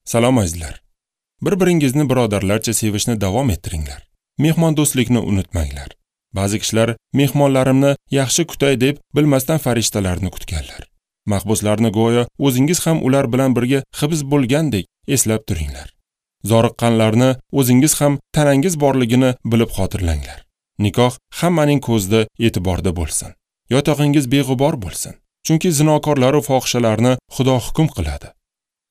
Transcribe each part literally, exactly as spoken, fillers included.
Salom azizlar. Bir-biringizni birodarlarcha sevishni davom ettiringlar. Mehmondo'stlikni unutmanglar. Ba'zi kishilar mehmonlarimni yaxshi kutay deb bilmasdan farishtalarni kutganlar. Mahbuslarni go'yo o'zingiz ham ular bilan birga hibs bo'lgandek eslab turinglar. Zoriqqanlarni o'zingiz ham tanangiz borligini bilib xotirlanglar. Nikoh hammaning ko'zida e'tiborda bo'lsin. Yotog'ingiz beg'ubor bo'lsin. Chunki zinokorlar va fohishalarni Xudo hukm qiladi.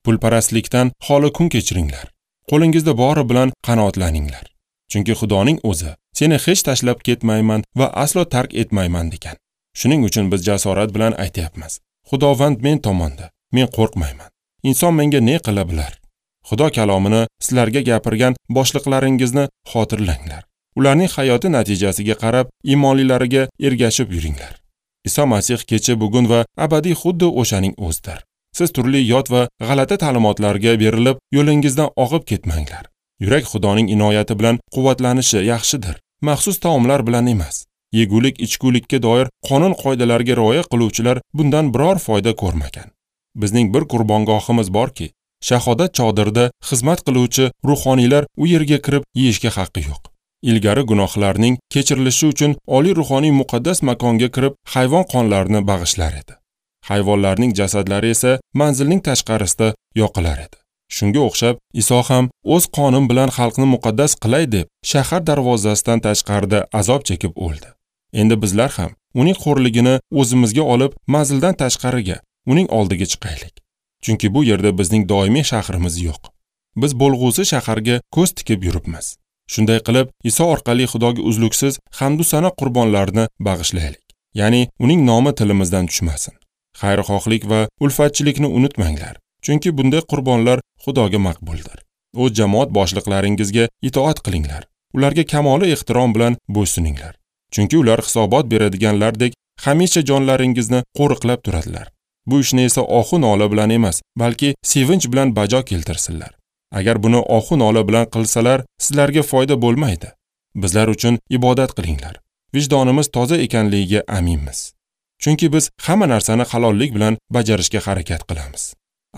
Pulparastlikdan xoli kun kechiringlar. Qo'lingizda bori bilan qanoatlaninglar. Chunki Xudoning o'zi seni hech tashlab ketmayman va aslo tark etmayman degan. Shuning uchun biz jasorat bilan aytyapmiz. Xudovand men tomonda, men qo'rqmayman. Inson menga ne qila bilar? Xudo kalomini sizlarga gapirgan boshliqlaringizni xotirlanglar. Ularning hayoti natijasiga qarab iymonlilariga ergashib yuringlar. Iso Masih kecha, bugun va abadiy xuddi o'shaning o'zidir. Siz turli yot va g'alati ta'limotlarga berilib, yo'lingizdan og'ib ketmanglar. Yurak Xudoning inoyati bilan quvvatlanishi yaxshidir. Maxsus taomlar bilan emas. Yegulik, ichgulikka doir qonun qoidalarga rioya qiluvchilar bundan biror foyda ko'rmagan. Bizning bir qurbongohimiz borki, shahodat chodirida xizmat qiluvchi ruhoniylar u yerga kirib yeyishga haqqi yo'q. Ilgari gunohlarning kechirilishi uchun oliy ruhoniy muqaddas makonga kirib hayvon qonlarini bag'ishlar edi. Hayvonlarning jasadlari esa manzilning tashqarisida yoqilar edi. Shunga o'xshab Iso ham o'z qonim bilan xalqni muqaddas qilay deb shahar darvozasidan tashqarida azob chekib o'ldi. Endi bizlar ham uning xo'rligini o'zimizga olib manzildan tashqariga, uning oldiga chiqaylik. Chunki bu yerda bizning doimiy shahrimiz yo'q. Biz bo'lg'usi shaharga ko'z tikib yuribmiz. Shunday qilib, Iso orqali Xudoga uzluksiz hamd va sano qurbonlarini bag'ishlaylik. Ya'ni uning nomi tilimizdan tushmasin. Xayrixohlik va ulfatchilikni unutmanglar. Chunki bunday qurbonlar Xudoga maqbuldir. O'z jamoat boshliqlaringizga itoat qilinglar. Ularga kamoli ehtirom bilan bo'ysuninglar. Chunki ular hisobot beradiganlardek hamisha jonlaringizni qo'riqlab turadilar. Bu ishni esa ohu nola bilan emas, balki sevinch bilan bajo keltirsinlar. Agar buni ohu nola bilan qilsalar, sizlarga foyda bo'lmaydi. Bizlar uchun ibodat qilinglar. Vijdonimiz toza ekanligiga aminmiz. Chunki biz hamma narsani halollik bilan bajarishga harakat qilamiz.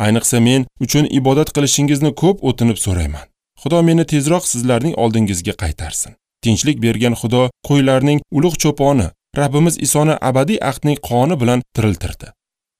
Ayniqsa men uchun ibodat qilishingizni ko'p o'tinib so'rayman. Xudo meni tezroq sizlarning oldingizga qaytarsin. Tinchlik bergan Xudo qo'ylarning ulug' cho'poni, Rabbimiz Isoni abadiy ahdning qoni bilan tiriltirdi.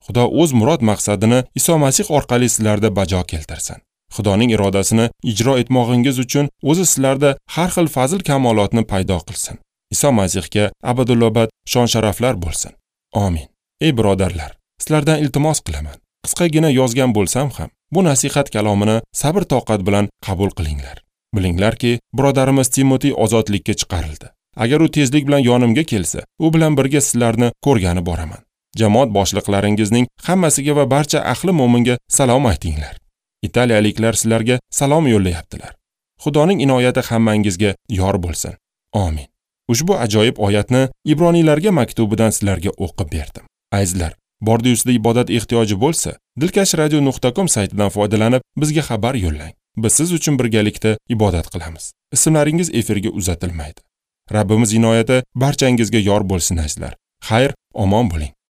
Xudo o'z murod maqsadini Iso Masih orqali sizlarda bajo keltirsin. Xudoning irodasini ijro etmog'ingiz uchun o'zi sizlarda har xil fazil kamolotni paydo qilsin. Iso Masihga abadulobad shon-sharaflar bo'lsin. Amin. Ey birodarlar, sizlardan iltimos qilaman. Qisqagina yozgan bo'lsam ham, bu nasihat kalomini sabr-toqat bilan qabul qilinglar. Bilinglarki, birodarimiz Timotey ozodlikka chiqarildi. Agar u tezlik bilan yonimga kelsa, u bilan birga sizlarni ko'rgani boraman. Jamoat boshliqlaringizning hammasiga va barcha ahli mo'minga salom aytinglar. Italiyaliklar sizlarga salom yo'llayaptilar. Xudoning inoyati hammangizga yor bo'lsin. Amin. Ushbu ajoyib oyatni Ibroniylarga maktubidan sizlarga o'qib berdim. Azizlar, bordi-ustida ibodat ehtiyoji bo'lsa, dilkash radio nuqta com saytidan foydalanib bizga xabar yo'llang. Biz siz uchun birgalikda ibodat qilamiz. Ismlaringiz efirga uzatilmaydi. Rabbimiz inoyati barchangizga yor bo'lsin azizlar. Xayr, omon bo'ling.